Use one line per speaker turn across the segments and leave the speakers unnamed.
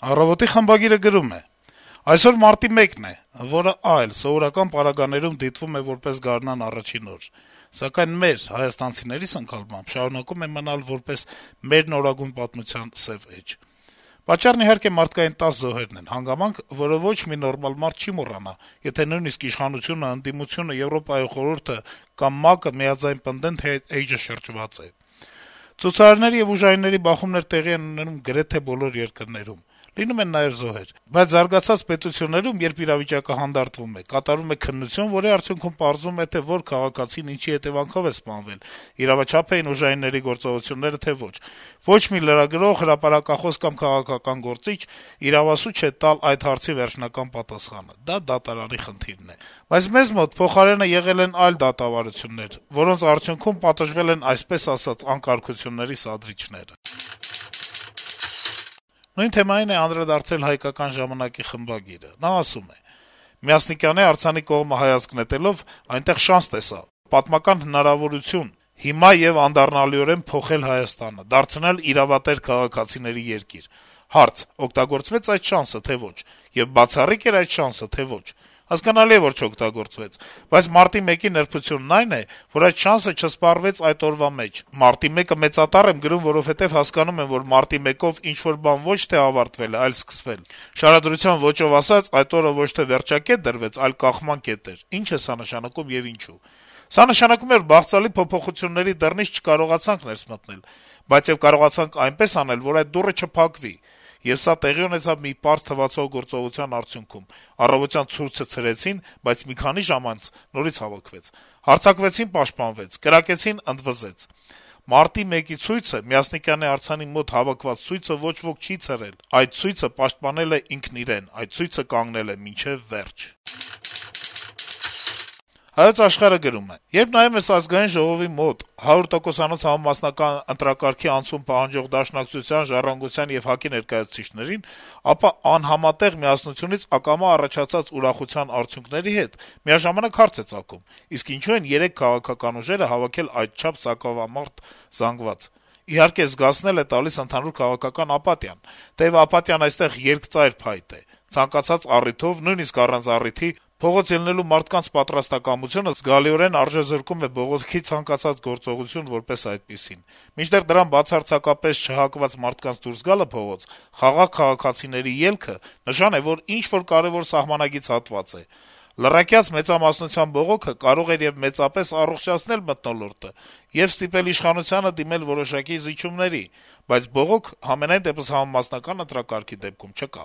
«Առավոտ»-ի խմբագիրը գրում է. - «Այսօր մարտի 1-ն է, որը այլ, սովորական պարագաներում դիտվում է որպես գարնան առաջին օր, սակայն մեր՝ հայաստանցիների սնկալմամբ շարունակում է մնալ որպես մեր նորագույն պատմության սեւ էջ: Պատճառն, իհարկե, մարդկային 10 զոհերն են, հանգամանք, որը ոչ մի նորմալ մարդ չի մոռանա, եթե նույնիսկ իշխանությունը, ընդդիմությունը, Եվրոպայի խորհուրդը կամ ՄԱԿ-ը միաձայն պնդեն, թե էջը շրջված է: Ցուցարարների եւ ուժայինների բախումներ տեղի են ունենում գրեթե բոլոր երկրներում: Լինում են նաեւ զոհեր: Բայց զարգացած պետություններում, երբ իրավիճակը հանդարտվում է, կատարվում է քննություն, որի արդյունքում պարզվում է, թե որ քաղաքացին ինչի հետեւանքով է սպանվել, իրավաչափ էին ուժայինների գործողությունները, թե ոչ: Ոչ մի լրագրող, հրապարակախոս կամ քաղաքական գործիչ իրավասու չէ տալ այդ հարցի վերջնական պատասխանը: Դա դատարանի խնդիրն է: Բայց մեզ մոտ փոխարենը եղել են այլ դատավարություններ, որոնց արդյունքում պատժվել են, այսպես ասած, անկարգությունների սադրիչները»: Նույն թեմային է անդրադարձել «Հայկական ժամանակ»-ի խմբագիրը: Նա ասում է. - «Մյասնիկյանի արձանի կողմը հայացք նետելով` այնտեղ շանս տեսա, պատմական հնարավորություն հիմա եւ անդառնալիորեն փոխել Հայաստանը, դարձնել իրավատեր քաղաքացիների երկիր: Հարց. օգտագործվե՞ց այդ շանսը, թե ոչ: Եվ բացառիկ՞ էր այդ շանսը, թե ոչ: Հասկանալի է, որ չօգտագործվեց: Բայց մարտի 1-ի նրբությունն այն է, որ այդ շանսը չսպառվեց այդ օրվա մեջ: Մարտի 1-ը մեծատառ եմ գրում, որովհետեւ հասկանում եմ, որ մարտի 1-ով ինչ-որ բան ոչ թե ավարտվել է, այլ սկսվել: Շարադրության ոճով ասած, այդ օրը ոչ թե վերջակետ դրվեց, այլ կախման կետ էր: Ինչ է սա նշանակում եւ ինչու: Սա նշանակում է, որ բաղձալի փոփոխությունների դռնից չկարողացանք ներս մտնել, բայց եւ կարողացանք այնպես անել, որ այդ դուռը չփակվի: Եվ սա տեղի ունեցավ մի պարզ թվացող գործողության արդյունքում: Առավոտյան ցուրտը ցրեցին, բայց մի քանի ժամ անց նորից հավաքվեց: Հարձակվեցին, պաշտպանվեց, կրակեցին, ընդվզեց: Մարտի 1-ի ցույցը, Մյասնիկյանի արձանի մոտ հավաքված ցույցը ոչ ոք չի ցրել: Այդ ցույցը պաշտպանել է ինքն իրեն: Այդ ցույցը կանգնել է մինչեւ վերջ»: «Հայոց Աշխարհ»-ը գրում է. - «Երբ նայում ես Ազգային ժողովի մոտ 100%-անոց համամասնական ընտրակարգի անցում պահանջող Դաշնակցության, Ժառանգության եւ ՀԱԿ-ի ներկայացուցիչներին, ապա անհամատեղ միասնությունից ակամա առաջացած ուրախության արդյունքների հետ միաժամանակ հարց է ծագում` իսկ ինչո՞ւ են 3 քաղաքական ուժերը հավաքել այդչափ սակավամարդ զանգված: Իհարկե, զգացնել է տալիս ընդհանուր քաղաքական ապաթիան: Թեեւ ապաթիան այստեղ երկծայր փայտ է: Ցանկացած առիթով, նույնիսկ առանց առիթի, փողոց ելնելու մարդկանց պատրաստակամությունը զգալիորեն արժեզրկում է բողոքի ցանկացած գործողություն որպես այդպիսին: Մինչդեռ դրան բացարձակապես չհակված մարդկանց դուրս գալը փողոց, խաղաղ քաղաքացիների ելքը, նշան է, որ ինչ-որ կարեւոր սահմանագիծ հատված է: Լռակյաց մեծամասնության բողոքը կարող էր եւ մեծապես առողջացնել մթնոլորտը եւ ստիպել իշխանությանը դիմել որոշակի զիջումների, բայց բողոք համենայն դեպս համամասնական ընտրակարգի դեպքում չկա»: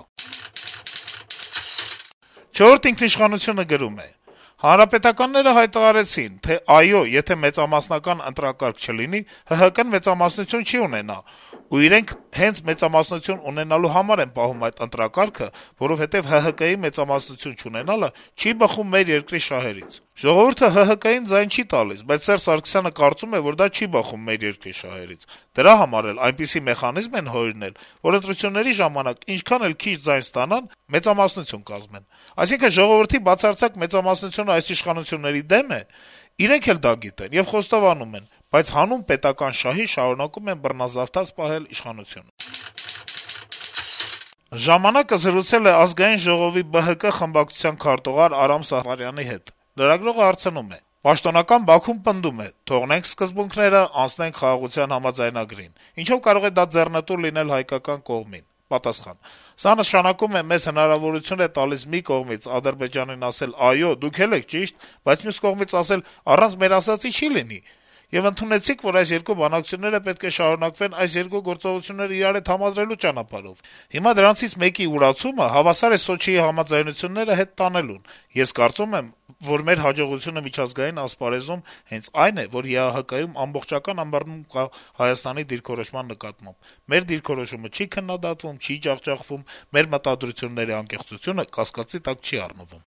«Չորրորդ ինքնիշխանություն»-ը գրում է. - «Հանրապետականները հայտարարեցին, թե այո, եթե մեծամասնական ընտրակարգ չլինի, ՀՀԿ-ն մեծամասնություն չի ունենա, ու իրենք հենց մեծամասնություն ունենալու համար են պահում այդ ընտրակարգը, որովհետեւ ՀՀԿ-ի մեծամասնություն չունենալը չի բխում մեր երկրի շահերից: Ժողովուրդը ՀՀԿ-ին ձայն չի տալիս, բայց Սերժ Սարգսյանը կարծում է, որ դա չի բխում մեր երկրի շահերից: Դրա համար էլ այնպիսի մեխանիզմ են հորինել, որ ընտրությունների ժամանակ ինչքան էլ քիչ ձայն ստանան, մեծամասնություն կազմեն: Այսինքն` ժողովրդի բացարձակ մեծամասնությունը այս իշխանությունների դեմ է: Իրենք էլ դա գիտեն եւ խոստովանում են, բայց հանուն պետական շահի շարունակում են բռնազավթած պահել իշխանությունը»: «Ժամանակ»-ը զրուցել է Ազգային ժողովի ԲՀԿ խմբակցության քարտուղար Արամ Սաֆարյանի հետ: Լրագրողը հարցնում է. - «Պաշտոնական Բաքուն պնդում է` թողնենք սկզբունքները, անցնենք խաղաղության համաձայնագրին: Ինչո՞վ կարող է դա ձեռնտու լինել հայկական կողմին»: Պատասխան. - «Սա նշանակում է, մեզ հնարավորություն է տալիս մի կողմից Ադրբեջանին ասել` այո, դուք էլ եք ճիշտ, բայց մյուս կողմից ասել` առանց մեր ասածի չի լինի: Եվ ընդունեցիք, որ այս երկու բանակցությունները պետք է շարունակվեն այս երկու գործողությունները իրար հետ համադրելու ճանապարհով: Հիմա դրանցից մեկի ուրացումը հավասար է Սոչիի համաձայնությունները հետ տանելուն: Ես կարծում եմ, որ մեր հաջողությունը միջազգային ասպարեզում հենց այն է, որ ԵԱՀԿ-ում ամբողջական ըմբռնում կա Հայաստանի դիրքորոշման նկատմամբ: Մեր դիրքորոշումը չի քննադատվում, չի ջախջախվում, մեր մտադրությունների անկեղծությունը կասկածի տակ չի առնվում»: